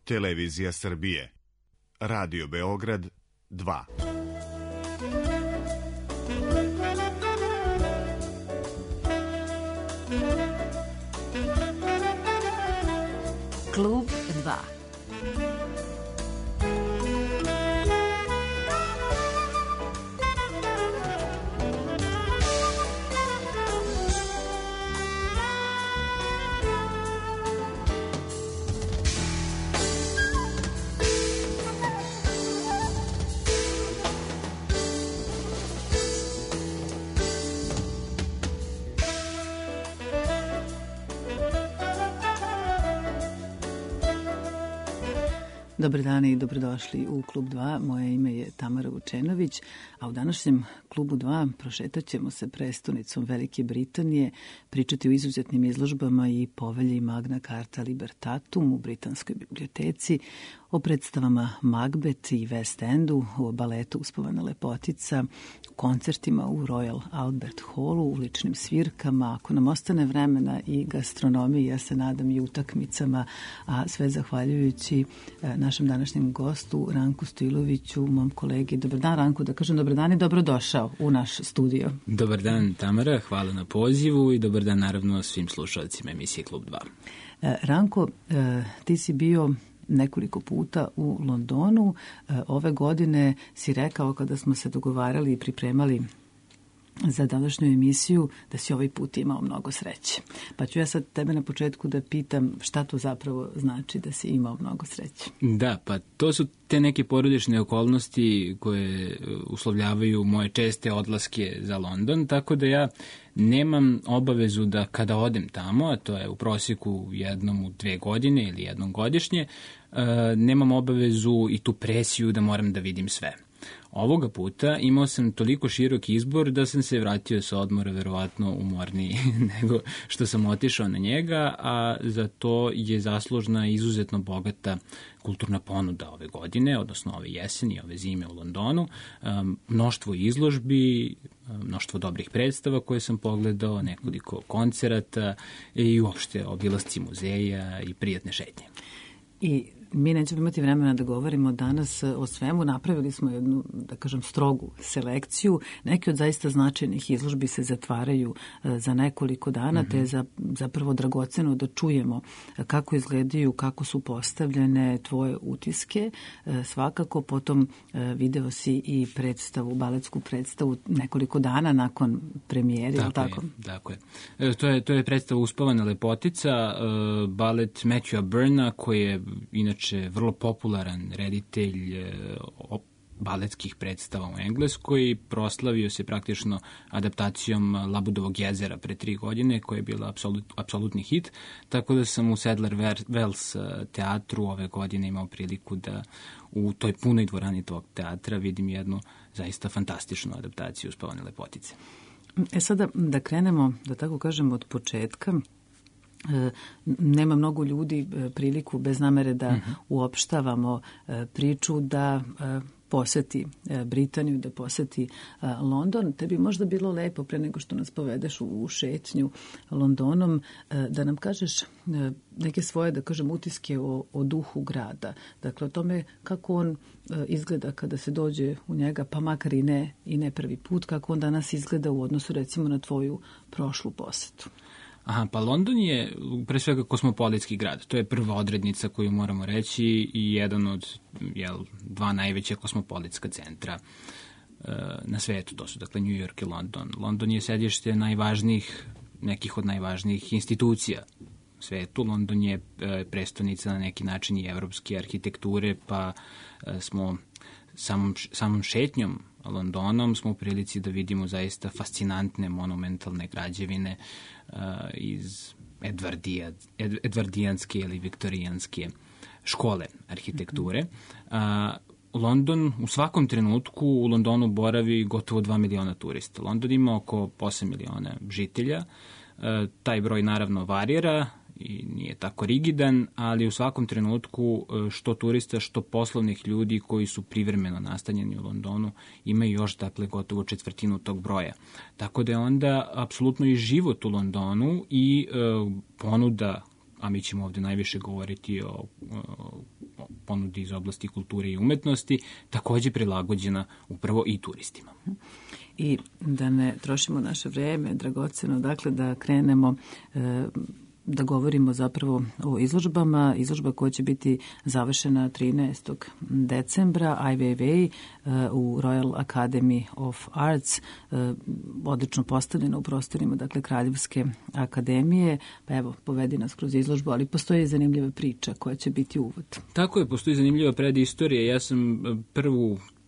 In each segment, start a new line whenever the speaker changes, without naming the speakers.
Televizija Srbije. Radio Beograd 2.
Klub 2. Dobar dan i dobrodošli u Klub 2. Moje ime je Tamara Vučenović, a u današnjem Klubu 2 prošetat ćemo se prestonicom Velike Britanije, pričati o izuzetnim izložbama i povelji Magna Carta Libertatum u Britanskoj biblioteci, o predstavama Macbeth i West Endu, o baletu Uspavana lepotica, koncertima u Royal Albert Hallu, uličnim svirkama, ako nam ostane vremena i gastronomiji, ja se nadam i utakmicama, a sve zahvaljujući našem današnjem gostu Ranku Stojiloviću, mom kolegi. Dobar dan, Ranku, da kažem dobar dan i dobrodošao u naš studio.
Dobar dan, Tamara, hvala na pozivu i dobar dan naravno svim slušalcima emisije Klub 2.
Ranko, ti si bio nekoliko puta u Londonu. Ove godine si rekao, kada smo se dogovarali i pripremali za današnju emisiju, da si ovaj put imao mnogo sreće. Pa ću ja sad tebe na početku da pitam šta to zapravo znači da si imao mnogo sreće.
Da, pa to su te neke porodične okolnosti koje uslovljavaju moje česte odlaske za London, tako da ja nemam obavezu da kada odem tamo, a to je u prosjeku jednom u 2 godine ili jednom godišnje, nemam obavezu i tu presiju da moram da vidim sve. Ovoga puta imao sam toliko širok izbor da sam se vratio sa odmora verovatno umorniji nego što sam otišao na njega, a za to je zaslužna izuzetno bogata kulturna ponuda ove godine, odnosno ove jeseni, ove zime u Londonu, mnoštvo izložbi, mnoštvo dobrih predstava koje sam pogledao, nekoliko koncerata i uopšte obilasci muzeja i prijatne šetnje.
I mi nećemo imati vremena da govorimo danas o svemu. Napravili smo jednu, da kažem, strogu selekciju. Neki od zaista značajnih izložbi se zatvaraju za nekoliko dana, te je zapravo dragoceno da čujemo kako izgledaju, kako su postavljene tvoje utiske. Svakako, potom video si i predstavu, baletsku predstavu nekoliko dana nakon premijere.
Tako je. To je predstava Uspavana lepotica, balet Matthewa Burna, koji je inače vrlo popularan reditelj baletskih predstava u Engleskoj. Proslavio se praktično adaptacijom Labudovog jezera pre 3 godine, koja je bila apsolutni hit, tako da sam u Sadler Wells teatru ove godine imao priliku da u toj punoj dvorani tog teatra vidim jednu zaista fantastičnu adaptaciju Uspavane lepotice.
Sada da krenemo, da tako kažem, od početka. Nema mnogo ljudi priliku, bez namere da uopštavamo priču, da poseti Britaniju, da poseti London. Tebi možda bilo lepo, pre nego što nas povedeš u šetnju Londonom, da nam kažeš neke svoje, da kažem, utiske o duhu grada. Dakle, o tome kako on izgleda kada se dođe u njega, pa makar i ne prvi put, kako on danas izgleda u odnosu recimo na tvoju prošlu posetu.
Aha, pa London je pre svega kosmopolitski grad. To je prva odrednica koju moramo reći i jedan od 2 najveća kosmopolitska centra na svetu. To su dakle New York i London. London je sedište nekih od najvažnijih institucija u svetu. London je prestonica na neki način i evropske arhitekture, pa smo samom šetnjom Londonom smo u prilici da vidimo zaista fascinantne monumentalne građevine iz edvardijanske ili viktorijanske škole arhitekture. London, u svakom trenutku u Londonu boravi gotovo 2 miliona turista. London ima oko 8 miliona žitelja. Taj broj naravno varira i nije tako rigidan, ali u svakom trenutku što turista, što poslovnih ljudi koji su privremeno nastanjeni u Londonu imaju još, dakle, gotovo 1/4 tog broja. Tako da je onda apsolutno i život u Londonu i ponuda a mi ćemo ovde najviše govoriti o ponudi iz oblasti kulture i umetnosti, takođe prilagođena upravo i turistima.
I da ne trošimo naše vreme, dragoceno, dakle da krenemo da govorimo zapravo o izložbama. Izložba koja će biti završena 13. decembra, Ai Weiwei u Royal Academy of Arts, odlično postavljena u prostorima, dakle, Kraljevske akademije. Pa evo, povedi nas kroz izložbu, ali postoji zanimljiva priča koja će biti uvod.
Tako je, postoji zanimljiva predistorija. Ja sam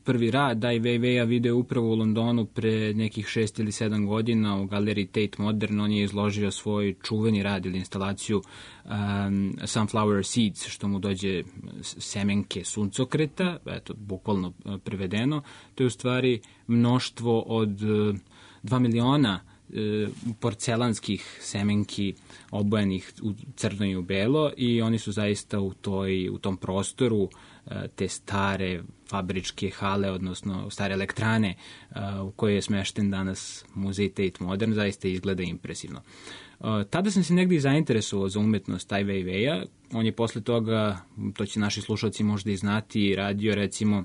prvi rad Ai Weiweia video upravo u Londonu pre nekih 6 ili 7 godina u galeriji Tate Modern. On je izložio svoj čuveni rad ili instalaciju Sunflower Seeds, što mu dođe semenke suncokreta, eto, bukvalno prevedeno. To je u stvari mnoštvo od 2 miliona porcelanskih semenki obojenih u crno i u belo i oni su zaista u tom prostoru te stare fabričke hale, odnosno stare elektrane u kojoj je smešten danas muzej Tate Modern, zaista izgleda impresivno. Tada sam se negdje zainteresovao za umetnost Ai Weiweia. On je posle toga, to će naši slušalci možda i znati, radio recimo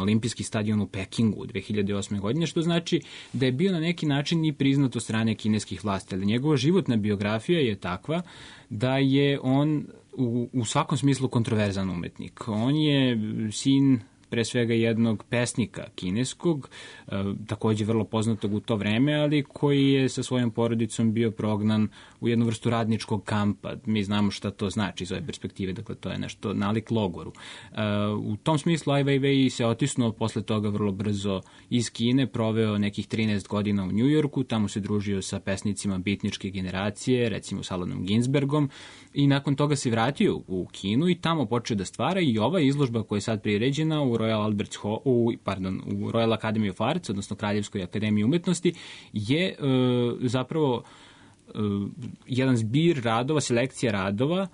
olimpijski stadion u Pekingu 2008. godine, što znači da je bio na neki način i priznat od strane kineskih vlasti, ali njegova životna biografija je takva da je on u svakom smislu kontroverzan umetnik. On je sin pre svega jednog pesnika kineskog, takođe vrlo poznatog u to vreme, ali koji je sa svojom porodicom bio prognan u jednu vrstu radničkog kampa. Mi znamo šta to znači iz ove perspektive, dakle to je nešto nalik logoru. U tom smislu Ai Weiwei se otisnuo posle toga vrlo brzo iz Kine, proveo nekih 13 godina u Njujorku, tamo se družio sa pesnicima bitničke generacije, recimo s Allenom Ginsbergom, i nakon toga se vratio u Kinu i tamo počeo da stvara i ova izložba koja je sad priređena u Royal Academy of Arts, odnosno Kraljevskoj akademiji umetnosti, je zapravo jedan zbir radova, selekcija radova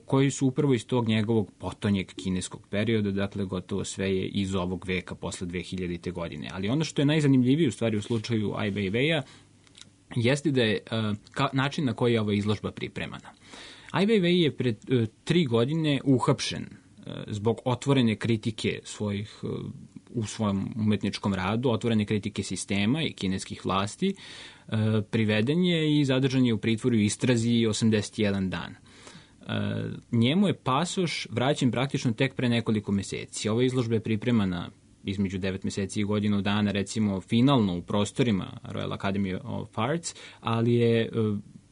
koji su upravo iz tog njegovog potonjeg kineskog perioda, dakle gotovo sve je iz ovog veka posle 2000. godine. Ali ono što je najzanimljivije u stvari u slučaju Ai Weiweia jeste da je način na koji je ova izložba pripremana. Ai Weiwei je pred 3 godine uhapšen zbog otvorene kritike u svojom umetničkom radu, otvorene kritike sistema i kineskih vlasti, priveden je i zadržan je u pritvoru i istrazi 81 dan. Njemu je pasoš vraćen praktično tek pre nekoliko meseci. Ova izložba je pripremana između 9 meseci i godinu dana, recimo finalno u prostorima Royal Academy of Arts, ali je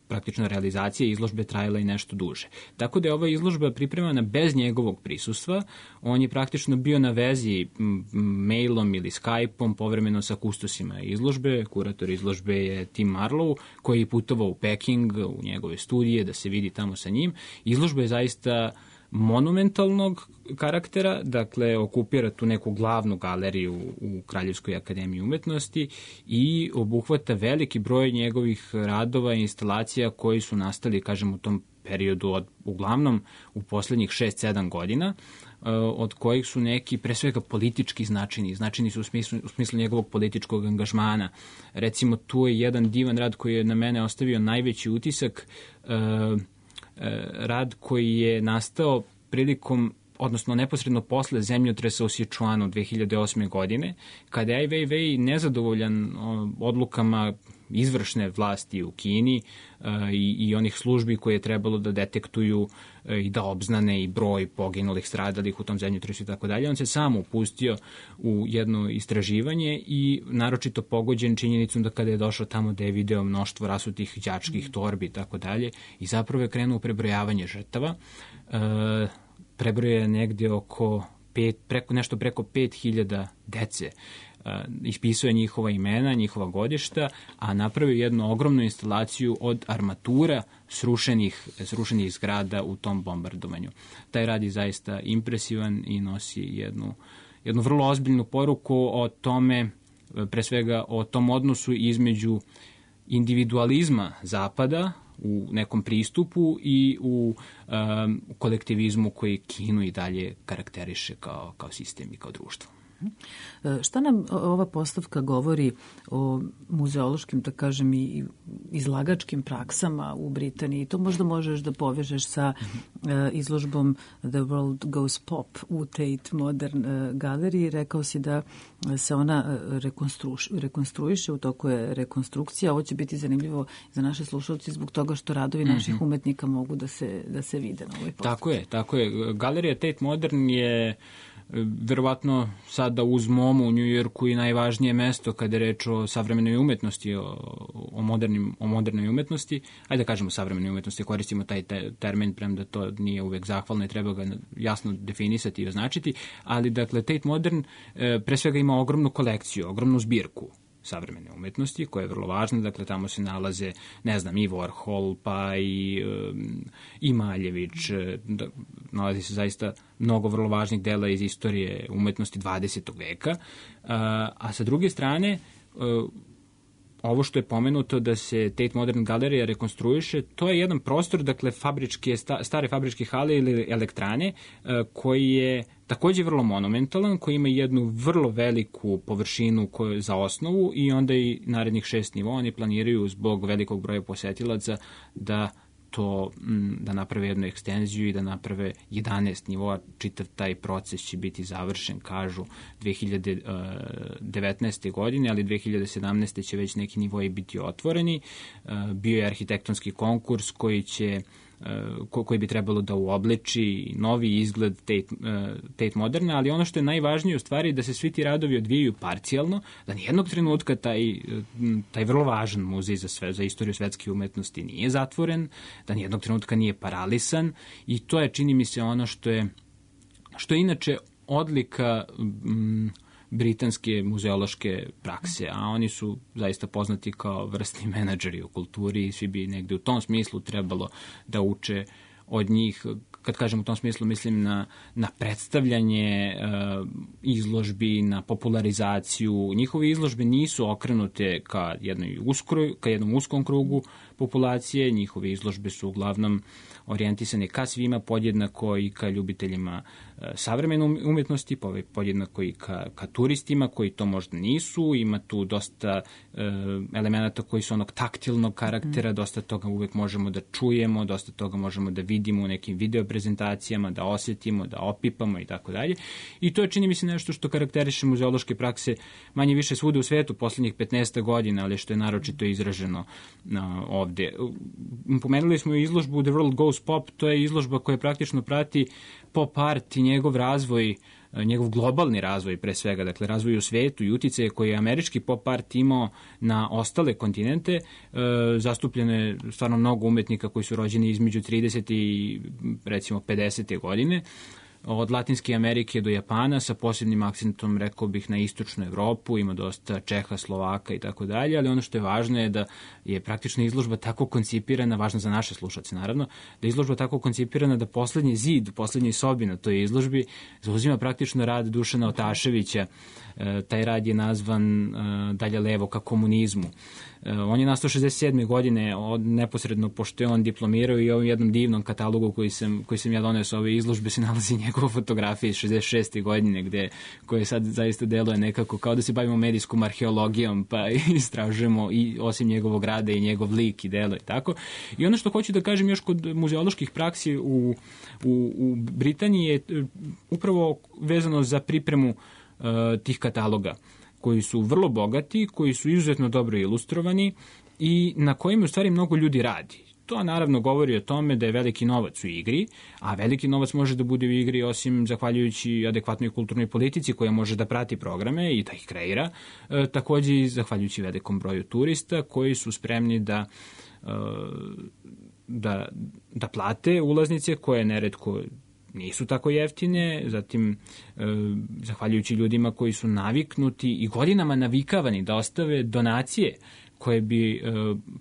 praktično realizacija izložbe trajala i nešto duže. Tako da je ova izložba pripremana bez njegovog prisustva. On je praktično bio na vezi mailom ili Skype-om povremeno sa kustosima izložbe. Kurator izložbe je Tim Marlow, koji je putovao u Peking, u njegove studije, da se vidi tamo sa njim. Izložba je zaista monumentalnog karaktera, dakle okupira tu neku glavnu galeriju u Kraljevskoj akademiji umetnosti i obuhvata veliki broj njegovih radova i instalacija koji su nastali, kažem, u tom periodu uglavnom u poslednjih 6-7 godina, od kojih su neki pre svega politički značajni. Značajni su u smislu njegovog političkog angažmana. Recimo, tu je jedan divan rad koji je na mene ostavio najveći utisak, rad koji je nastao prilikom, odnosno neposredno posle zemljotresa u Sichuanu 2008. godine, kada je Ai Weiwei nezadovoljan odlukama izvršne vlasti u Kini i onih službi koje je trebalo da detektuju i da obznane i broj poginulih, stradalih u tom zemljotresu i tako dalje. On se sam upustio u jedno istraživanje i naročito pogođen činjenicom da kada je došao tamo da je video mnoštvo rasutih đačkih torbi i tako dalje i zapravo je krenuo u prebrojavanje žrtava. Prebroje negde nešto preko 5000 dece. Ispisao je njihova imena, njihova godišta, a napravio jednu ogromnu instalaciju od armatura srušenih zgrada u tom bombardovanju. Taj rad je zaista impresivan i nosi jednu vrlo ozbiljnu poruku o tome, pre svega o tom odnosu između individualizma Zapada u nekom pristupu i u kolektivizmu koji Kinu i dalje karakteriše kao sistem i kao društvo.
Šta nam ova postavka govori o muzeološkim, da kažem, i izlagačkim praksama u Britaniji? To možda možeš da povežeš sa izložbom The World Goes Pop u Tate Modern galeriji. Rekao si da se ona rekonstruiše, u toku je rekonstrukcija. Ovo će biti zanimljivo za naše slušalci zbog toga što radovi naših umetnika mogu da se vide na ovoj postavci.
Tako je. Galerija Tate Modern je verovatno sada uz MoMA u Njujorku i najvažnije mesto kada je reč o savremenoj umetnosti, o modernoj umetnosti. Ajde da kažemo savremenoj umetnosti, koristimo taj termin, premda to nije uvek zahvalno i treba ga jasno definisati i označiti, ali dakle Tate Modern pre svega ima ogromnu kolekciju, ogromnu zbirku savremene umetnosti, koja je vrlo važna, dakle tamo se nalaze, ne znam, i Warhol, pa i Maljević, nalazi se zaista mnogo vrlo važnih dela iz istorije umetnosti 20. veka, a sa druge strane, ovo što je pomenuto da se Tate Modern galerija rekonstruiše, to je jedan prostor, dakle stare fabričke hale ili elektrane, koji je takođe vrlo monumentalan, koji ima jednu vrlo veliku površinu za osnovu i onda i narednih 6 nivoa. Oni planiraju zbog velikog broja posetilaca da naprave jednu ekstenziju i da naprave 11 nivoa. Čitav taj proces će biti završen, kažu, 2019. godine, ali 2017. će već neki nivoi biti otvoreni. Bio je arhitektonski konkurs koji bi trebalo da uobliči novi izgled Tate Moderna, ali ono što je najvažnije u stvari da se svi ti radovi odvijaju parcijalno, da nijednog trenutka taj vrlo važan muzej za istoriju svetske umetnosti nije zatvoren, da nijednog trenutka nije paralisan i to je, čini mi se, ono što je inače odlika britanske muzeološke prakse, a oni su zaista poznati kao vrsni menadžeri u kulturi i svi bi negde u tom smislu trebalo da uče od njih. Kad kažem u tom smislu, mislim na predstavljanje izložbi, na popularizaciju. Njihove izložbe nisu okrenute ka jednom uskom krugu populacije, njihove izložbe su uglavnom orijentisane ka svima, podjednako i ka ljubiteljima savremene umetnosti, podjednako i ka turistima koji to možda nisu. Ima tu dosta elemenata koji su onog taktilnog karaktera, dosta toga uvek možemo da čujemo, dosta toga možemo da vidimo u nekim video prezentacijama, da osjetimo, da opipamo i tako dalje. I to je, čini mi se, nešto što karakteriše muzeološke prakse manje više svuda u svetu poslednjih 15 godina, ali što je naročito izraženo ovde. Pomenuli smo izložbu The World Goes Pop, to je izložba koja praktično prati pop art i njegov razvoj, njegov globalni razvoj pre svega, dakle razvoj u svetu i uticaje koje je američki pop art imao na ostale kontinente. Zastupljeno je stvarno mnogo umetnika koji su rođeni između 30 i recimo 50. godine. Od Latinske Amerike do Japana, sa posebnim akcentom, rekao bih, na istočnu Evropu, ima dosta Čeha, Slovaka i tako dalje, ali ono što je važno je da je praktično izložba tako koncipirana, važno za naše slušalce naravno, da je izložba tako koncipirana da poslednji zid u poslednjoj sobi na toj izložbi zauzima praktično rad Dušana Otaševića. Taj rad je nazvan Dalje levo ka komunizmu. On je nastao 67. godine, neposredno pošto je on diplomirao, i u ovom jednom divnom katalogu koji sam ja doneo sa ove izložbe se nalazi njegova fotografija iz 66. godine, koje sad zaista deluje nekako kao da se bavimo medijskom arheologijom, pa istražujemo i osim njegovog rada i njegov lik i delo i tako. I ono što hoću da kažem još kod muzeoloških praksi u Britaniji je upravo vezano za pripremu tih kataloga, koji su vrlo bogati, koji su izuzetno dobro ilustrovani i na kojima u stvari mnogo ljudi radi. To naravno govori o tome da je veliki novac u igri, a veliki novac može da bude u igri osim zahvaljujući adekvatnoj kulturnoj politici koja može da prati programe i da ih kreira, takođe i zahvaljujući velikom broju turista koji su spremni da plate ulaznice koje neretko nisu tako jeftine, zatim zahvaljujući ljudima koji su naviknuti i godinama navikavani da ostave donacije koje bi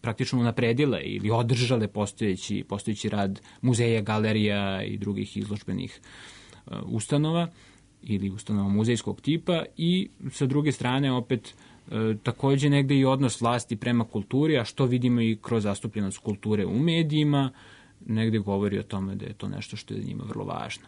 praktično napredile ili održale postojeći rad muzeja, galerija i drugih izložbenih ustanova ili ustanova muzejskog tipa, i sa druge strane opet takođe negde i odnos vlasti prema kulturi, a što vidimo i kroz zastupljenost kulture u medijima, negde govori o tome da je to nešto što je njima vrlo važno.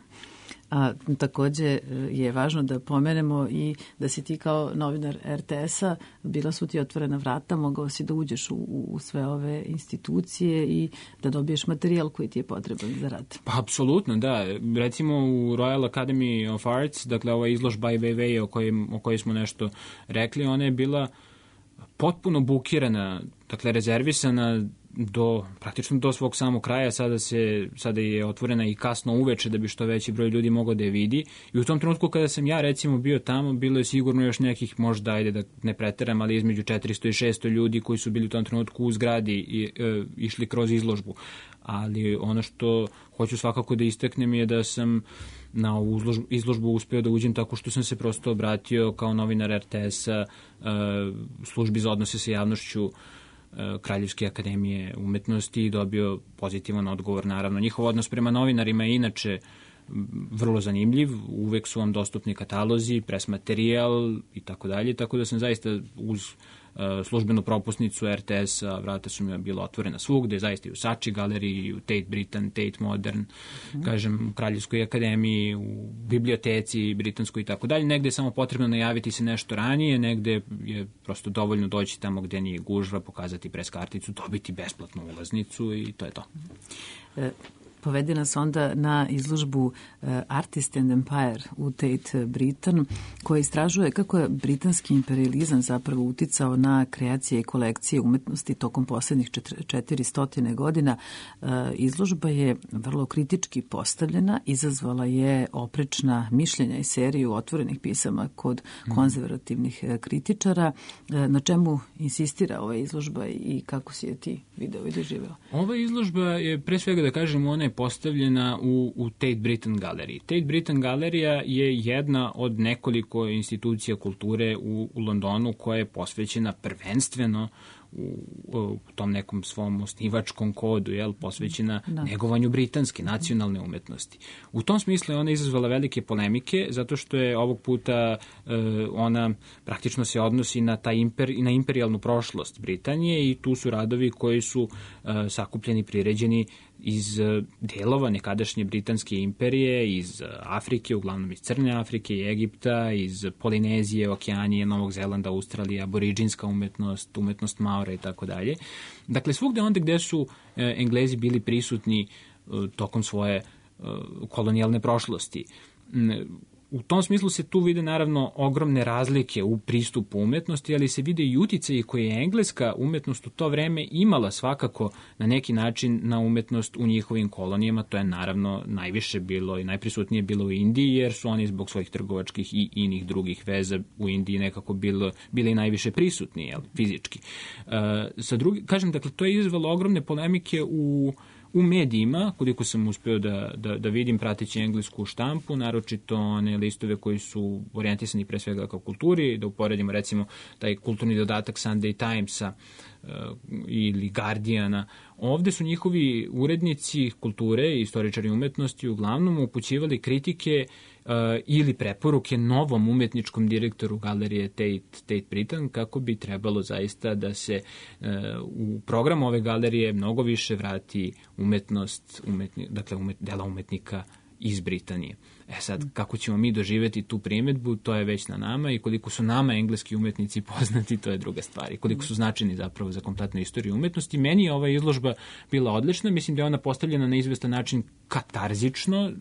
A takođe je važno da pomenemo i da si ti kao novinar RTS-a, bila su ti otvorena vrata, mogao si da uđeš u sve ove institucije i da dobiješ materijal koji ti je potreban za rad.
Pa, apsolutno, da. Recimo u Royal Academy of Arts, dakle ova izložba Ai Weiwei o kojoj smo nešto rekli, ona je bila potpuno bukirana, dakle rezervisana praktično do svog samog kraja. Sada je otvorena i kasno uveče da bi što veći broj ljudi mogao da je vidi. I u tom trenutku kada sam ja recimo bio tamo, bilo je sigurno još nekih, možda ajde da ne preteram, ali između 400 i 600 ljudi koji su bili u tom trenutku u zgradi i išli kroz izložbu. Ali ono što hoću svakako da istaknem je da sam na ovu izložbu uspeo da uđem tako što sam se prosto obratio kao novinar RTS-a službi za odnose sa javnošću Kraljevske akademije umetnosti i dobio pozitivan odgovor. Naravno, njihov odnos prema novinarima je inače vrlo zanimljiv, uvek su vam dostupni katalozi, pres materijal i tako dalje, tako da sam zaista uz službenu propusnicu RTS-a, vrata su mi bila otvorena svugde, zaista i u Sači galeriji, i u Tate Britain, Tate Modern, kažem, u Kraljevskoj akademiji, u biblioteci britanskoj i tako dalje. Negde je samo potrebno najaviti se nešto ranije, negde je prosto dovoljno doći tamo gde nije gužva, pokazati pres karticu, dobiti besplatnu ulaznicu i to je to.
Povedi nas onda na izložbu Artist and Empire u Tate Britain, koja istražuje kako je britanski imperializam zapravo uticao na kreacije i kolekcije umetnosti tokom poslednjih 400 godina. Izložba je vrlo kritički postavljena, izazvala je oprečna mišljenja i seriju otvorenih pisama kod konzervativnih kritičara. Na čemu insistira ova izložba i kako si je ti video i doživeo?
Ova izložba je, pre svega da kažem, ona je postavljena u Tate Britain galeriji. Tate Britain galerija je jedna od nekoliko institucija kulture u Londonu koja je posvećena prvenstveno u tom nekom svom osnivačkom kodu, posvećena negovanju britanske nacionalne umetnosti. U tom smislu je ona izazvala velike polemike, zato što je ovog puta ona praktično se odnosi na na imperijalnu prošlost Britanije i tu su radovi koji su sakupljeni, priređeni iz delova nekadašnje britanske imperije, iz Afrike, uglavnom iz Crne Afrike i Egipta, iz Polinezije, Okeanije, Novog Zelanda, Australije, aboriđinska umetnost Maora i tako dalje. Dakle, svugde onda gde su Englezi bili prisutni tokom svoje kolonijalne prošlosti. U tom smislu se tu vide naravno ogromne razlike u pristupu umetnosti, ali se vide i uticaji koje je engleska umetnost u to vreme imala svakako na neki način na umetnost u njihovim kolonijama. To je naravno najviše bilo i najprisutnije bilo u Indiji, jer su oni zbog svojih trgovačkih i inih drugih veza u Indiji nekako bili najviše prisutni, fizički. Kažem, dakle, to je izazvalo ogromne polemike u medijima, koliko sam uspeo da vidim prateći englesku štampu, naročito one listove koji su orijentisani pre svega kao kulturi, da uporedimo recimo taj kulturni dodatak Sunday Timesa ili Guardiana. Ovde su njihovi urednici kulture i istoričari umetnosti uglavnom upućivali kritike ili preporuke novom umetničkom direktoru galerije Tate Britain, kako bi trebalo zaista da se u program ove galerije mnogo više vrati umetnost, dela umetnika iz Britanije. Sad, kako ćemo mi doživeti tu primedbu, to je već na nama, i koliko su nama engleski umetnici poznati, to je druga stvar. I koliko su značajni zapravo za kompletnu istoriju umetnosti. Meni je ova izložba bila odlična, mislim da je ona postavljena na izvestan način katarzično,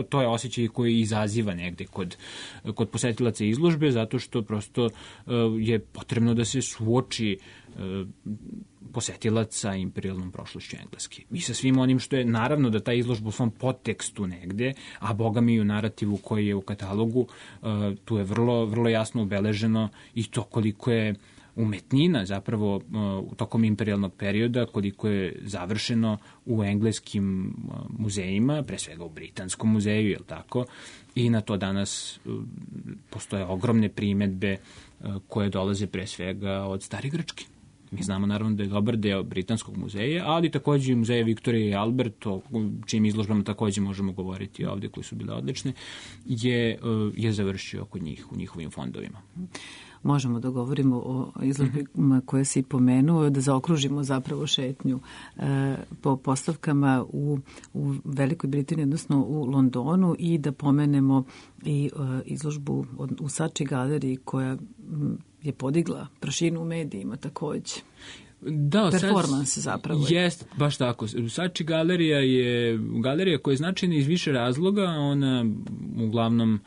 to je osjećaj koji izaziva negde kod posetilaca izložbe, zato što prosto je potrebno da se suoči posetilac sa imperijalnom prošlošću Engleske. I sa svim onim što je, naravno da ta izložba u svom podtekstu negde, a boga mi i u narativu koji je u katalogu, tu je vrlo, vrlo jasno obeleženo i to koliko je umetnina zapravo tokom imperijalnog perioda, koliko je završeno u engleskim muzejima, pre svega u Britanskom muzeju, jel tako? I na to danas postoje ogromne primedbe koje dolaze pre svega od stare Grčke. Mi znamo naravno da je dobar deo Britanskog muzeja, ali takođe i muzeja Viktorije i Albert, o čijim izložbama takođe možemo govoriti ovde, koji su bile odlične, je završio kod njih u njihovim fondovima.
Možemo da govorimo o izložbama koje si pomenuo, da zaokružimo zapravo šetnju po postavkama u Velikoj Britaniji, odnosno u Londonu, i da pomenemo i izložbu u Saatchi galeriji koja je podigla prašinu u medijima takođe.
Da,
performans zapravo.
Jeste, baš tako. Saatchi galerija je galerija koja je značajna iz više razloga. Ona uglavnom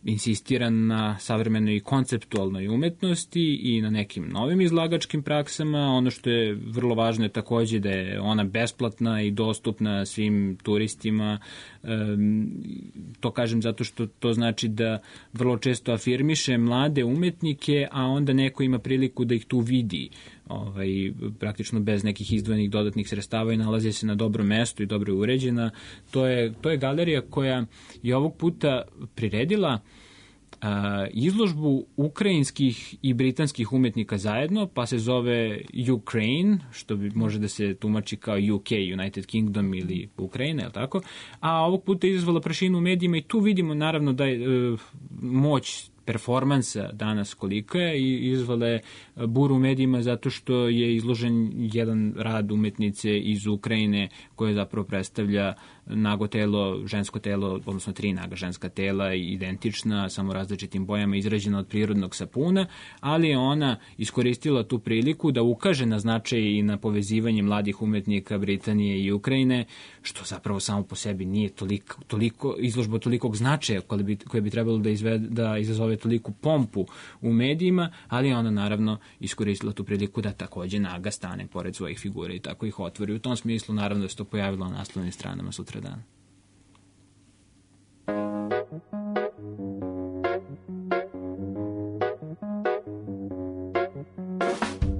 insistira na savremenoj i konceptualnoj umetnosti i na nekim novim izlagačkim praksama. Ono što je vrlo važno je takođe da je ona besplatna i dostupna svim turistima. To kažem zato što to znači da vrlo često afirmiše mlade umetnike, a onda neko ima priliku da ih tu vidi praktično bez nekih izdvojenih dodatnih sredstava i nalazi se na dobrom mestu i dobro je uređena. To je galerija koja je ovog puta priredila izložbu ukrajinskih i britanskih umetnika zajedno, pa se zove Ukraine, što može da se tumači kao UK, United Kingdom ili Ukrajina, je li tako? A ovog puta je izazvala prašinu u medijima i tu vidimo naravno da je moć performansa danas kolika je i izvala je buru u medijima zato što je izložen jedan rad umetnice iz Ukrajine koje zapravo predstavlja nago telo, žensko telo, odnosno 3 naga ženska tela, identična, samo različitim bojama, izrađena od prirodnog sapuna, ali je ona iskoristila tu priliku da ukaže na značaj i na povezivanje mladih umetnika Britanije i Ukrajine, što zapravo samo po sebi nije toliko izložba tolikog značaja koje bi trebalo da izazove toliku pompu u medijima, ali ona naravno iskoristila tu priliku da takođe naga stane pored svojih figura i tako ih otvori. U tom smislu naravno da se to pojavilo na naslovnim stranama sutra dan.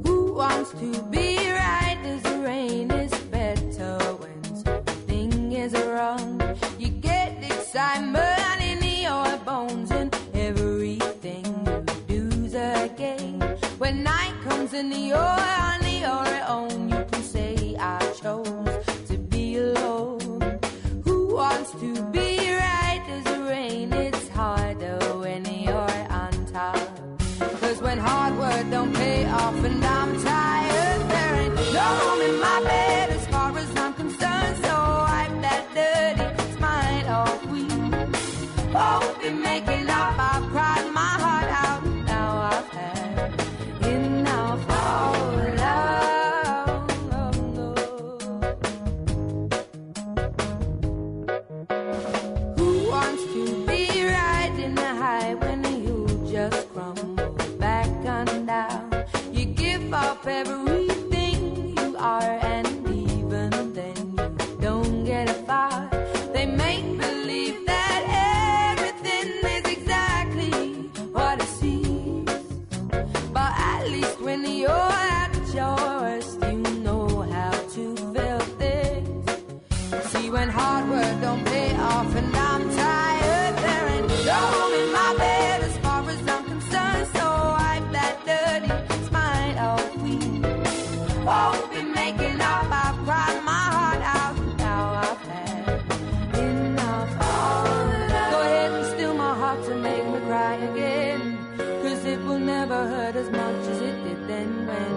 Who wants to be right as the rain is better when something is wrong? You get excitement in your bones and everything you do's a game. When night comes and you're on your own, you can say I chose to be alone. Who wants to be right as the rain? It's harder when you're on top. 'Cause when hard work don't pay off and I'm tired, there ain't no room in my bed as far as I'm concerned. So wipe that dirty smile off. We both been making up. I've cried my heart out. Now I've had enough of love. Who wants to be right in the high when you just crumble back and down? You give up everything you are, and even then you don't get far. They make believe that everything is exactly what it seems, but at least when you're at your worst, you know how to feel things. See, when hard work don't pay off and I'm tired, there ain't no room in my bed as far as I'm concerned. So wipe that dirty smile off. We won't be making up. I've cried my heart out. Now I've had enough of love. Go ahead and steal my heart to make me cry again, 'cause it will never hurt as much as it did then when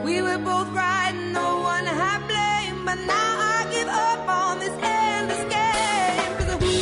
we were both right and no one had blame. But now I give up on this endless game, 'cause who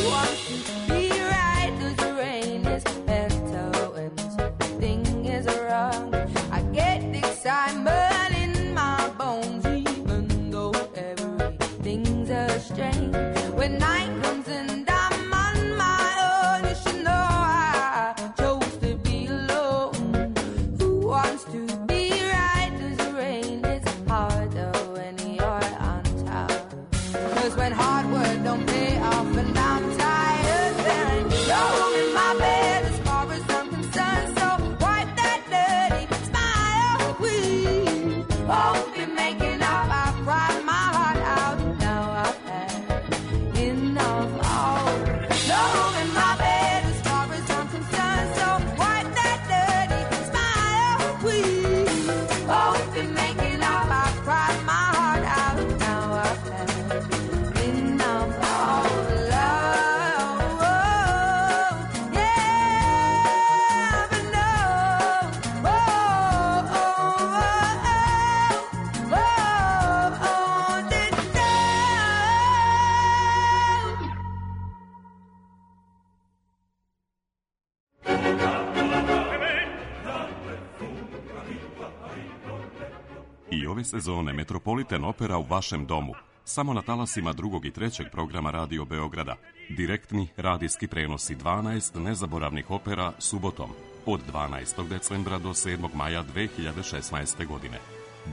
I ove sezone Metropolitan Opera u vašem domu. Samo na talasima 2. i 3. programa Radio Beograda. Direktni radijski prenosi 12 nezaboravnih opera subotom od 12. decembra do 7. maja 2016. godine.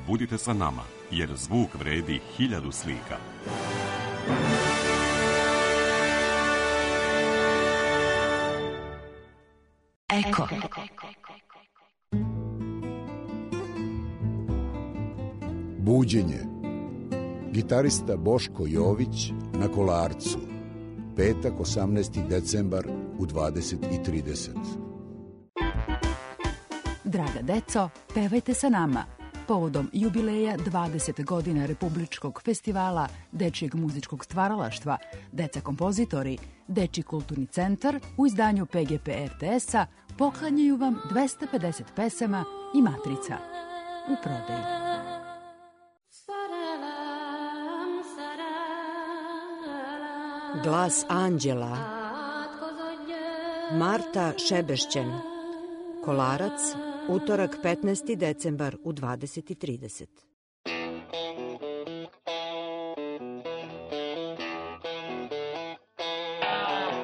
Budite sa nama, jer zvuk vredi 1000 slika.
Eko.
Buđenje. Gitarista Boško Jović na Kolarcu. Petak, 18. decembar u 20:30.
Draga deco, pevajte sa nama. Povodom jubileja 20 godina Republičkog festivala dečijeg muzičkog stvaralaštva, Deca kompozitori, Dečiji kulturni centar u izdanju PGP RTS-a poklanjaju vam 250 pesama i matrica u prodaji.
Glas anđela. Marta Šebešćen. Kolarac, utorak 15. decembar u 20:30.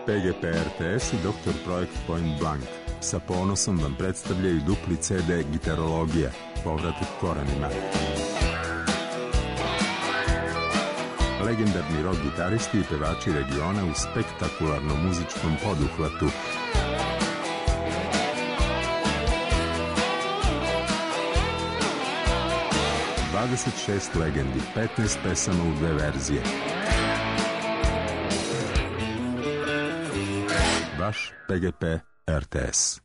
PGP RTS i Dr. Projekt Point Blank sa ponosom vam predstavljaju dupli CD Gitarologija, povratak korenima. Legendarni rock gitaristi i pevači regiona u spektakularnom muzičkom poduhvatu. ...26 legendi, 15 pesama u 2 verzije. Vaš PGP RTS.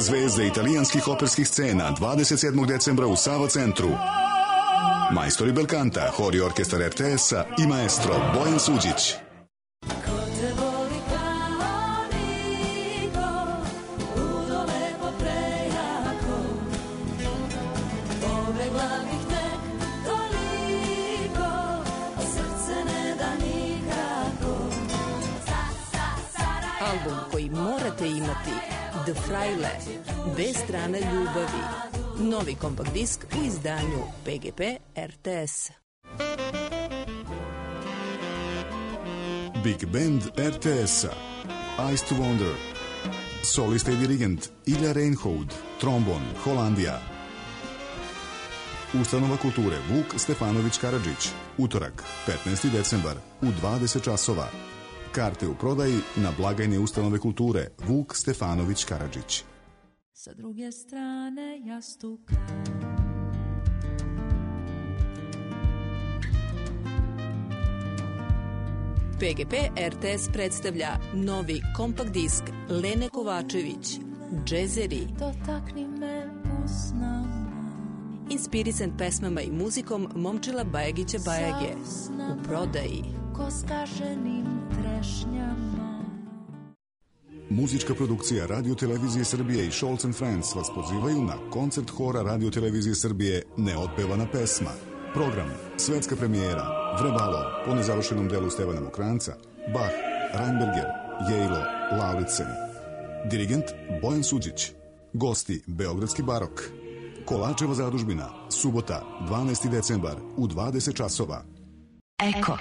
Zvezde italijanskih operskih scena 27. decembra u Sava centru. Majstori belkanta, hor i orkestar RTS-a i maestro Bojan Suđić.
Album koji morate imati, The Fraile, dve strane ljubavi. Novi kompakt disk u izdanju PGP RTS.
Big Band RTS-a, Eyes to Wonder. Solista i dirigent Ilja Reinhold, trombon, Holandija. Ustanova kulture Vuk Stefanović Karadžić, utorak, 15. decembar, u 20 časova. Karte u prodaji na blagajne ustanove kulture Vuk Stefanović Karadžić.
Sa druge strane jastuka.
PGP RTS predstavlja novi kompakt disk Lene Kovačević, Džezeri.
Dotakni me usnama.
Inspirisan pesmama i muzikom Momčila Bajagića Bajage. U prodaji.
Ko skaženim trešnjama.
Muzička produkcija Radio Televizije Srbije i Scholz & Friends vas pozivaju na koncert hora Radio Televizije Srbije Neotpevana pesma. Program, svetska premijera, Vrbalo, po nezavršenom delu Stevana Mokranca, Bach, Reinberger, Jejlo, Lauritsen. Dirigent Bojan Suđić. Gosti Beogradski barok. Kolačeva zadužbina, subota, 12. decembar u 20 časova.
Eko.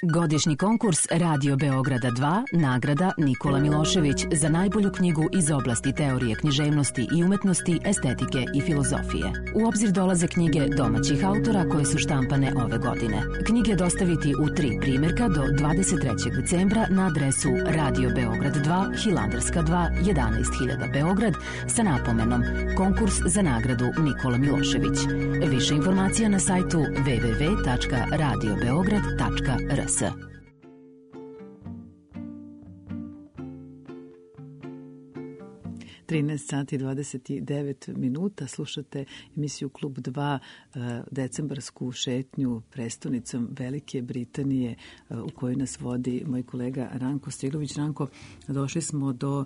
Godišnji konkurs Radio Beograda 2, nagrada Nikola Milošević za najbolju knjigu iz oblasti teorije književnosti i umetnosti, estetike i filozofije. U obzir dolaze knjige domaćih autora koje su štampane ove godine. Knjige dostaviti u 3 primjerka do 23. decembra na adresu Radio Beograd 2, Hilandarska 2, 11.000 Beograd sa napomenom Konkurs za nagradu Nikola Milošević. Više informacija na sajtu www.radiobeograd.rs.
13 sati 29 minuta. Slušate emisiju Klub 2, decembarsku šetnju prestonicom Velike Britanije u kojoj nas vodi moj kolega Ranko Stilović. Ranko, došli smo do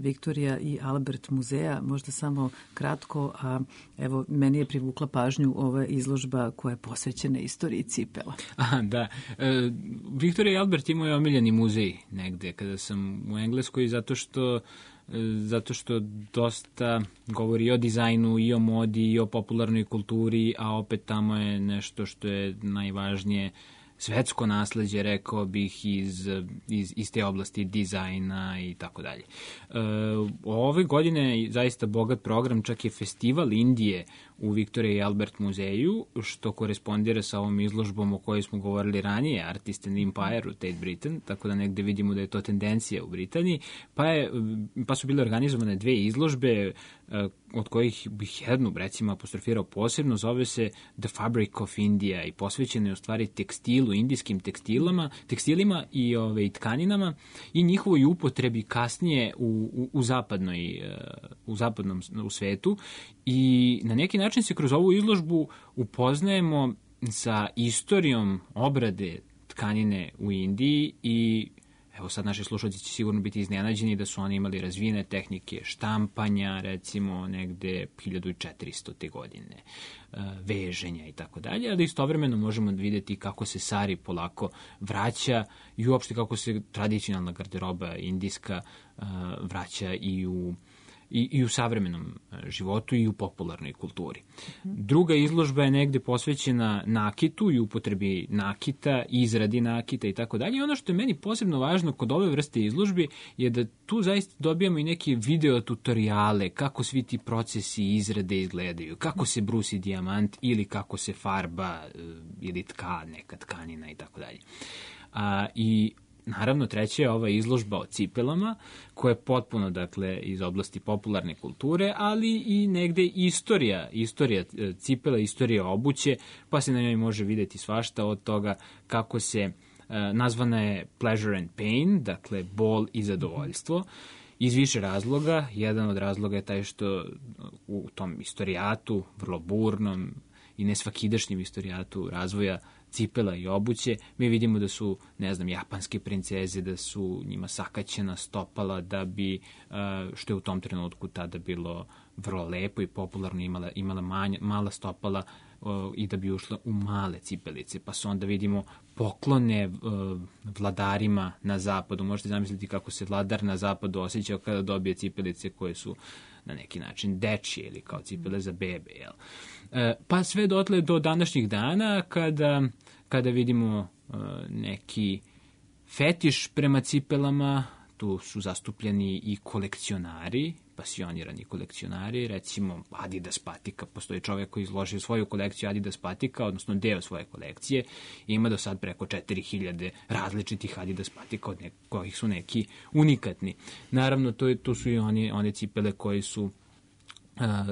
Viktorija i Albert muzeja. Možda samo kratko, a evo, meni je privukla pažnju ova izložba koja je posvećena istoriji cipela.
Aha, da. Viktorija i Albert imaju omiljeni muzej negde kada sam u Engleskoj, zato što zato što dosta govori i o dizajnu, i o modi, i o popularnoj kulturi, a opet tamo je nešto što je najvažnije svetsko nasleđe, rekao bih, iz te oblasti dizajna i tako dalje. Ove godine je zaista bogat program, čak je festival Indije u Victoria i Albert muzeju, što korespondira sa ovom izložbom o kojoj smo govorili ranije, Artist and Empire u Tate Britain, tako da negde vidimo da je to tendencija u Britaniji, pa su bile organizovane 2 izložbe, od kojih bih jednu, recimo, apostrofirao posebno, zove se The Fabric of India i posvećena je u stvari tekstilu, indijskim tekstilima i tkaninama i njihovoj upotrebi kasnije u zapadnom svetu, i na neki način se kroz ovu izložbu upoznajemo sa istorijom obrade tkanine u Indiji. I evo sad naši slušalci će sigurno biti iznenađeni da su oni imali razvijene tehnike štampanja, recimo negde 1400. godine, veženja i tako dalje, ali istovremeno možemo vidjeti kako se sari polako vraća i uopšte kako se tradicionalna garderoba indijska vraća i u savremenom životu i u popularnoj kulturi. Druga izložba je negde posvećena nakitu i upotrebi nakita, izradi nakita i tako dalje. I ono što je meni posebno važno kod ove vrste izložbi je da tu zaista dobijamo i neke video tutoriale kako svi ti procesi izrade izgledaju, kako se brusi dijamant ili kako se farba ili neka tkanina i tako dalje. I naravno, treća je ova izložba o cipelama, koja je potpuno, dakle, iz oblasti popularne kulture, ali i negde istorija cipela, istorija obuće, pa se na njoj može vidjeti svašta, od toga kako se, nazvana je Pleasure and Pain, dakle, bol i zadovoljstvo, iz više razloga. Jedan od razloga je taj što u tom istorijatu, vrlo burnom i nesvakidašnjem istorijatu razvoja cipela i obuće, mi vidimo da su, japanske princeze, da su njima sakaćena stopala da bi, što je u tom trenutku tada bilo vrlo lepo i popularno, imala mala stopala i da bi ušla u male cipelice. Pa su onda vidimo poklone vladarima na zapadu. Možete zamisliti kako se vladar na zapadu osjećao kada dobije cipelice koje su na neki način dečije ili kao cipele za bebe. Jel? Pa sve dotle do današnjih dana kada vidimo neki fetiš prema cipelama. Tu su zastupljeni i kolekcionari, pasionirani kolekcionari, recimo Adidas patika. Postoji čovjek koji izložio svoju kolekciju Adidas patika, odnosno deo svoje kolekcije, i ima do sad preko 4000 različitih Adidas patika, od kojih su neki unikatni. Naravno, tu su i one cipele koji su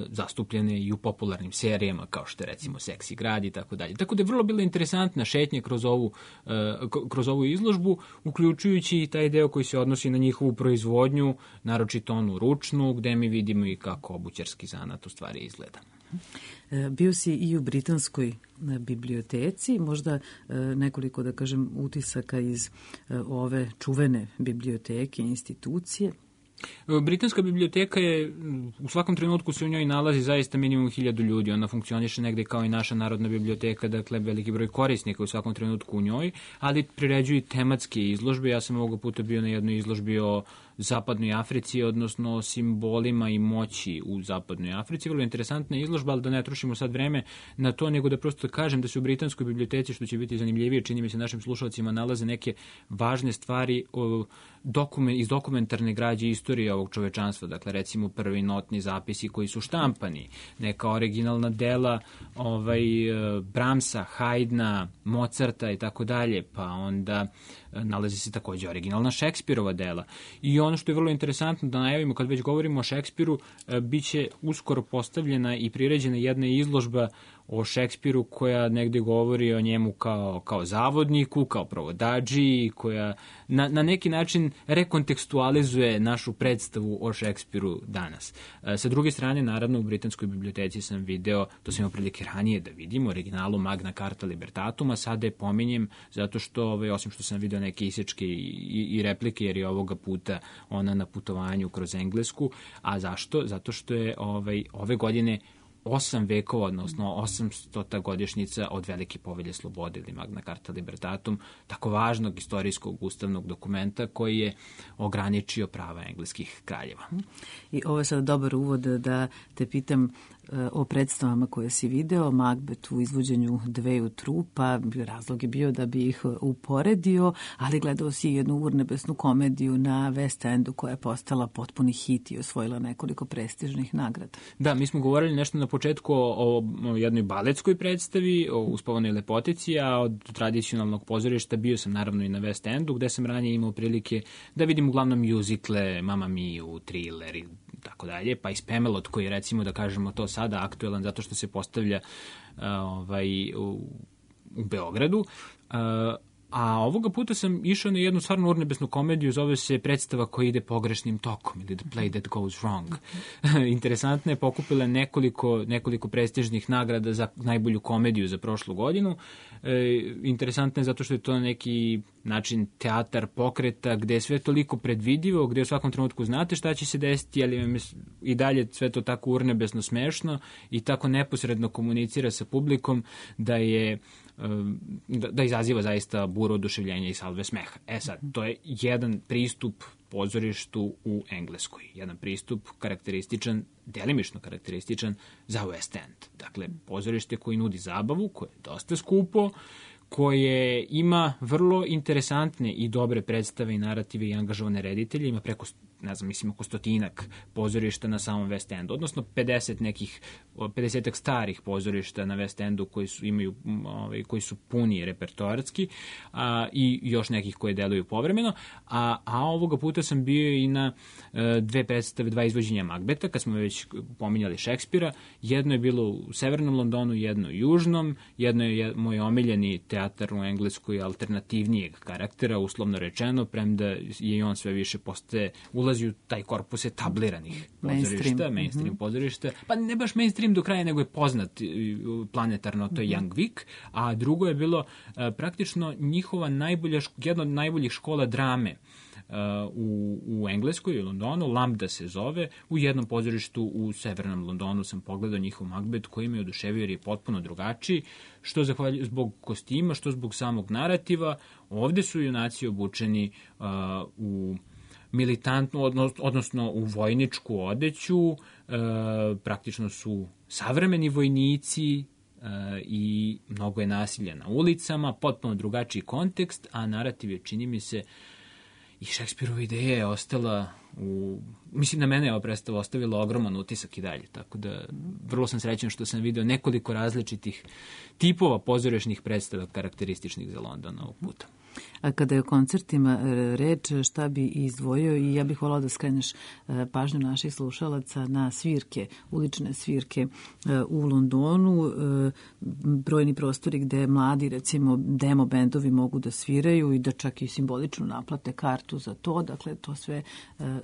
zastupljene i u popularnim serijama, kao što je recimo Seksi grad i tako dalje. Tako da je vrlo bila interesantna šetnja kroz ovu izložbu, uključujući i taj deo koji se odnosi na njihovu proizvodnju, naročito onu ručnu, gde mi vidimo i kako obućarski zanat u stvari izgleda.
Bio si i u britanskoj biblioteci, možda nekoliko, da kažem, utisaka iz ove čuvene biblioteke, institucije.
Britanska biblioteka je, u svakom trenutku se u njoj nalazi zaista minimum 1000 ljudi. Ona funkcioniše negde kao i naša narodna biblioteka, dakle veliki broj korisnika u svakom trenutku u njoj, ali priređuju tematske izložbe. Ja sam ovoga puta bio na jednoj izložbi o zapadnoj Africi, odnosno o simbolima i moći u zapadnoj Africi. Vrlo interesantna izložba, ali da ne trošimo sad vreme na to, nego da prosto kažem da se u britanskoj biblioteci, što će biti zanimljivije, čini mi se našim slušalcima, nalaze neke važne stvari iz dokumentarne građe istorije ovog čovečanstva. Dakle, recimo prvi notni zapisi koji su štampani, neka originalna dela Brahmsa, Haydna, Mozarta i tako dalje, pa onda nalazi se takođe originalna Šekspirova dela. I ono što je vrlo interesantno da najavimo, kad već govorimo o Šekspiru, bit će uskoro postavljena i priređena jedna izložba o Šekspiru koja negde govori o njemu kao zavodniku, kao provodadži, koja na neki način rekontekstualizuje našu predstavu o Šekspiru danas. Sa druge strane, naravno, u britanskoj biblioteci sam video, to sam imao prilike ranije da vidim, originalu Magna Carta Libertatum, a sada je pominjem zato što, osim što sam video neke isječke i replike, jer je ovoga puta ona na putovanju kroz Englesku. A zašto? Zato što je ove godine 8 vekova, odnosno 800. godišnjica od Velike povelje slobode ili Magna Carta Libertatum, tako važnog istorijskog ustavnog dokumenta koji je ograničio prava engleskih kraljeva.
I ovo je sad dobar uvod da te pitam o predstavama koje si video, Macbeth u izvođenju dveju trupa, razlog je bio da bi ih uporedio, ali gledao si jednu urnebesnu komediju na West Endu koja je postala potpuni hit i osvojila nekoliko prestižnih nagrada.
Da, mi smo govorili nešto na početku o jednoj baletskoj predstavi, o Uspavanoj lepotici, a od tradicionalnog pozorišta bio sam naravno i na West Endu, gde sam ranije imao prilike da vidim uglavnom mjuzikle, Mamma Miju, Thriller i tako dalje, pa i Spamalot koji je, recimo da kažemo to sada, aktuelan zato što se postavlja u Beogradu. A ovoga puta sam išao na jednu stvarno urnebesnu komediju, zove se Predstava koja ide pogrešnim tokom ili The Play That Goes Wrong. Interesantno je, pokupila nekoliko prestižnih nagrada za najbolju komediju za prošlu godinu. Interesantno je zato što je to neki način teatar pokreta gde je sve toliko predvidivo, gde u svakom trenutku znate šta će se desiti, ali vam je i dalje sve to tako urnebesno smešno i tako neposredno komunicira sa publikom da izaziva zaista buru oduševljenja i salve smeha. Sad, to je jedan pristup pozorištu u Engleskoj. Jedan pristup karakterističan, delimično karakterističan za West End. Dakle, pozorište koji nudi zabavu, koje je dosta skupo, koje ima vrlo interesantne i dobre predstave i narative i angažovane reditelje, ima preko, oko 100-ak pozorišta na samom West Endu, odnosno 50-ak starih pozorišta na West Endu koji su puni repertoarski i još nekih koje deluju povremeno, a ovoga puta sam bio i na dve predstave, dva izvođenja Macbetha, kad smo već pominjali Šekspira. Jedno je bilo u severnom Londonu, jedno u južnom, jedno je moj omiljeni teatar u Engleskoj alternativnijeg karaktera, uslovno rečeno, premda je i on sve više ulazi u taj korpus etabliranih pozorišta, mainstream pozorišta, pa ne baš mainstream do kraja, nego je poznat planetarno, to je Young Vic, a drugo je bilo praktično njihova jedna od najboljih škola drame u Engleskoj, u Londonu, Lambda se zove, u jednom pozorištu u severnom Londonu sam pogledao njihov Macbeth koji me oduševio jer je potpuno drugačiji, što zbog kostima, što zbog samog narativa. Ovde su junaci obučeni u militantnu, odnosno u vojničku odeću, praktično su savremeni vojnici i mnogo je nasilja na ulicama, potpuno drugačiji kontekst, a narativ je, čini mi se, i Šekspirova ideja je ostala mislim, na mene je ova predstava ostavila ogroman utisak i dalje, tako da vrlo sam srećan što sam video nekoliko različitih tipova pozorišnih predstava karakterističnih za London ovog puta.
A kada je o koncertima reč, šta bi izdvojio, i ja bih volao da skreneš pažnju naših slušalaca na svirke, ulične svirke u Londonu, brojni prostori gde mladi, recimo, demo bendovi mogu da sviraju i da čak i simbolično naplate kartu za to, dakle to sve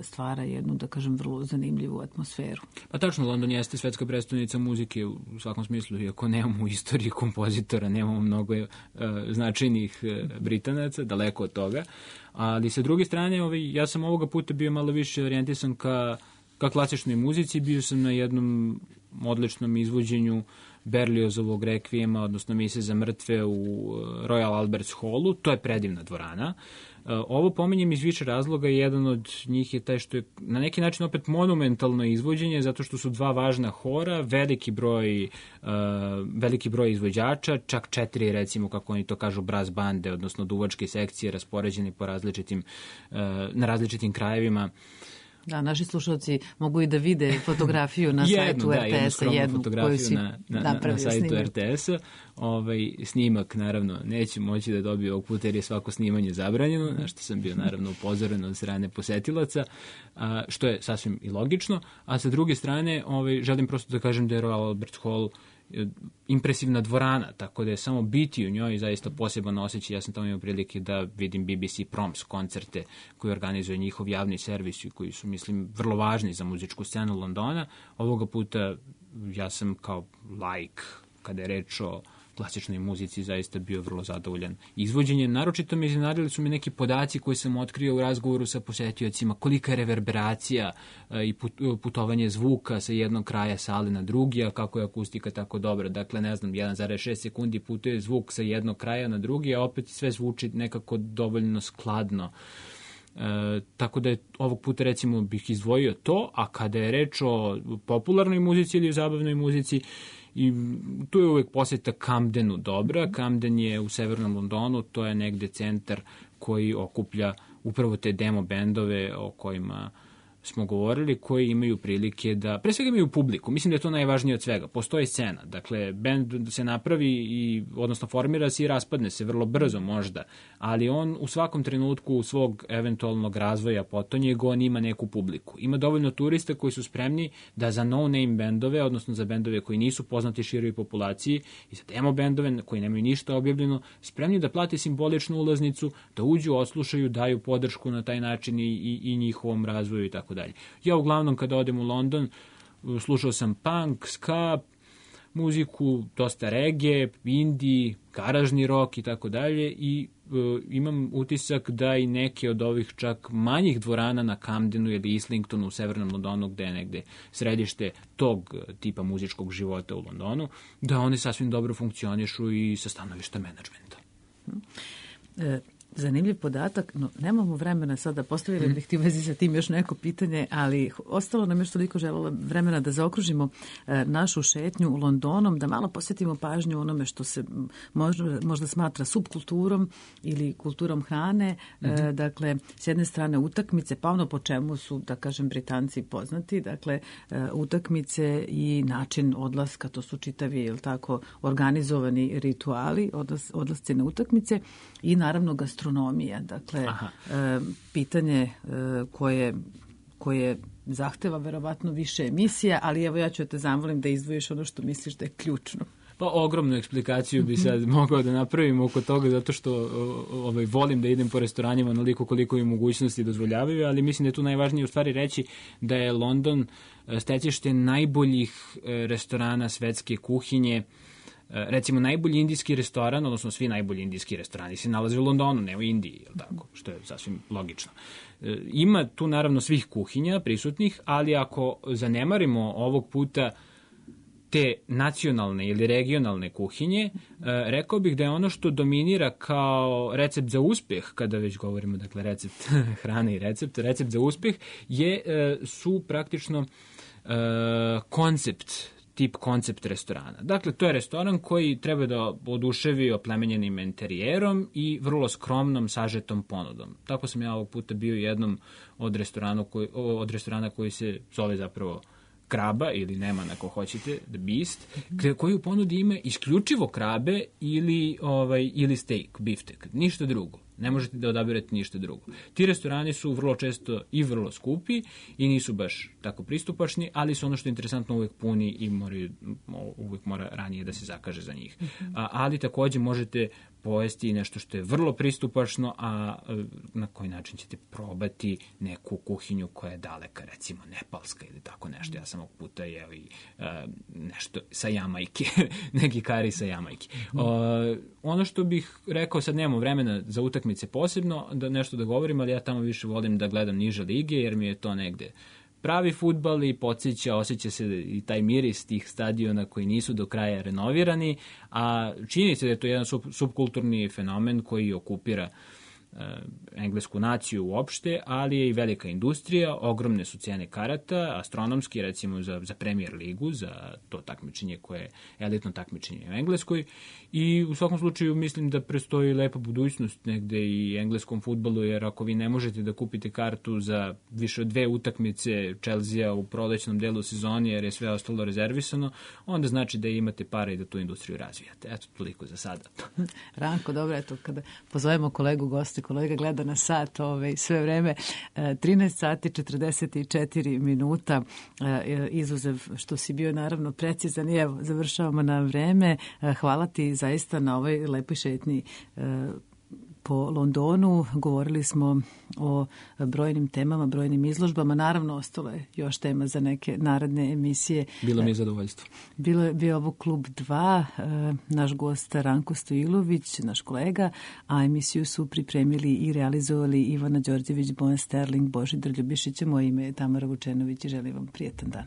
stvara jednu, da kažem, vrlo zanimljivu atmosferu.
Pa tačno, London jeste svetska prestonica muzike u svakom smislu, iako nemamo u istoriji kompozitora, nemamo mnogo značajnih Britanaca, daleko od toga, ali sa druge strane, ja sam ovoga puta bio malo više orijentisan ka klasičnoj muzici, bio sam na jednom odličnom izvođenju Berliozovog rekvijema, odnosno Mise za mrtve u Royal Alberts Hallu, to je predivna dvorana. Ovo pominjem iz više razloga i jedan od njih je taj što je na neki način opet monumentalno izvođenje, zato što su dva važna hora, veliki broj izvođača, čak 4, recimo, kako oni to kažu, brass bande, odnosno duvačke sekcije raspoređeni na različitim krajevima.
Da, naši slušalci mogu i da vide fotografiju na sajtu RTS-a, jednu koju si napravio
sajtu RTS-a. Snimak, naravno, neće moći da dobije ovog puta jer je svako snimanje zabranjeno, na što sam bio, naravno, upozoren od strane posetilaca, što je sasvim i logično. A sa druge strane, želim prosto da kažem da je Royal Albert Hall impresivna dvorana, tako da je samo biti u njoj zaista poseban osjećaj. Ja sam tamo imao prilike da vidim BBC Proms koncerte koji organizuje njihov javni servis i koji su, mislim, vrlo važni za muzičku scenu Londona. Ovoga puta ja sam kao laik, kada je reč o klasičnoj muzici zaista bio vrlo zadovoljan izvođenjem. Naročito me iznenadili su mi neki podaci koje sam otkrio u razgovoru sa posetiocima, kolika je reverberacija i putovanje zvuka sa jednog kraja sale na drugi, a kako je akustika tako dobra. Dakle, ne znam, 1,6 sekundi putuje zvuk sa jednog kraja na drugi, a opet sve zvuči nekako dovoljno skladno. Tako da je ovog puta recimo bih izdvojio to, a kada je reč o popularnoj muzici ili o zabavnoj muzici, i tu je uvek posjeta Camdenu dobra. Camden je u severnom Londonu, to je negde centar koji okuplja upravo te demo bendove o kojima smo govorili, koji imaju prilike da, pre svega imaju publiku, mislim da je to najvažnije od svega, postoji scena, dakle, bend se napravi i, odnosno formira se i raspadne se vrlo brzo možda, ali on u svakom trenutku svog eventualnog razvoja potonjeg, on ima neku publiku. Ima dovoljno turista koji su spremni da za no-name bendove, odnosno za bendove koji nisu poznati široj populaciji i za demo bendove koji nemaju ništa objavljeno, spremni da plate simboličnu ulaznicu, da uđu, odslušaju, daju podršku na taj način i njihovom razvoju i tako dalje. Ja uglavnom kada odem u London slušao sam punk, ska, muziku, dosta reggae, indie, garažni rock i tako dalje i imam utisak da i neke od ovih čak manjih dvorana na Camdenu ili Islingtonu u severnom Londonu, gde je negde središte tog tipa muzičkog života u Londonu, da oni sasvim dobro funkcionišu i sa stanovišta menadžmenta.
Zanimljiv podatak, no nemamo vremena sada, postavili bih ti u vezi sa tim još neko pitanje, ali ostalo nam još toliko želela vremena da zaokružimo našu šetnju u Londonom, da malo posvetimo pažnju onome što se možda smatra subkulturom ili kulturom hrane. Dakle, s jedne strane utakmice, pa ono po čemu su, da kažem, Britanci poznati, dakle, utakmice i način odlaska, to su čitavi, jel tako, organizovani rituali, odlasci na utakmice i naravno gastronomija, dakle, pitanje koje zahteva verovatno više emisija, ali evo ja ću te zamolim da izdvojiš ono što misliš da je ključno.
Pa ogromnu eksplikaciju bi sad mogao da napravim oko toga, zato što volim da idem po restoranima onoliko koliko i mogućnosti dozvoljavaju, ali mislim da je tu najvažnije u stvari reći da je London stecište najboljih restorana svetske kuhinje. Recimo, najbolji indijski restoran, odnosno svi najbolji indijski restorani se nalaze u Londonu, ne u Indiji, je li tako? Što je sasvim logično. Ima tu naravno svih kuhinja prisutnih, ali ako zanemarimo ovog puta te nacionalne ili regionalne kuhinje, rekao bih da je ono što dominira kao recept za uspeh, kada već govorimo, dakle, recept hrane i recept za uspeh, su praktično koncept restorana. Dakle, to je restoran koji treba da oduševi oplemenjenim interijerom i vrlo skromnom, sažetom ponudom. Tako sam ja ovog puta bio jednom od restorana koji se zove zapravo Kraba ili Neman ako hoćete, The Beast, koji u ponudi ima isključivo krabe ili steak, biftek, ništa drugo. Ne možete da odabirate ništa drugo. Ti restorani su vrlo često i vrlo skupi i nisu baš tako pristupačni, ali su ono što je interesantno uvek puni i uvek mora ranije da se zakaže za njih. Ali takođe možete pojesti nešto što je vrlo pristupačno, a na koji način ćete probati neku kuhinju koja je daleka, recimo nepalska ili tako nešto. Ja sam ovog puta jeo i nešto sa Jamajke, neki kari sa Jamajke. Ono što bih rekao, sad nemamo vremena za utakmice posebno, da nešto da govorim, ali ja tamo više volim da gledam niže lige, jer mi je to negde pravi fudbal i osjeća se i taj miris tih stadiona koji nisu do kraja renovirani, a čini se da je to jedan subkulturni fenomen koji okupira englesku naciju uopšte, ali je i velika industrija, ogromne su cene karata, astronomski, recimo za Premier ligu, za to takmičenje koje je elitno takmičenje u Engleskoj, i u svakom slučaju mislim da prestoji lepa budućnost negde i engleskom fudbalu, jer ako vi ne možete da kupite kartu za više od 2 utakmice Chelsea u prolećnom delu sezoni, jer je sve ostalo rezervisano, onda znači da imate pare i da tu industriju razvijate. Eto, toliko za sada.
Ranko, dobro, eto, kada pozovemo kolegu goste, kolega gleda na sat sve vreme, 13 sati 44 minuta, izuzev što si bio naravno precizan i evo, završavamo na vreme. Hvala ti zaista na ovoj lepoj šetnji po Londonu. Govorili smo o brojnim temama, brojnim izložbama. Naravno, ostalo je još tema za neke naredne emisije.
Bilo mi je zadovoljstvo.
Bio ovo Klub 2, naš gost Ranko Stojilović, naš kolega, a emisiju su pripremili i realizovali Ivana Đorđević, Bojan Sterling, Božidar Ljubišić. Moje ime je Tamara Vučenović i želim vam prijetan dan.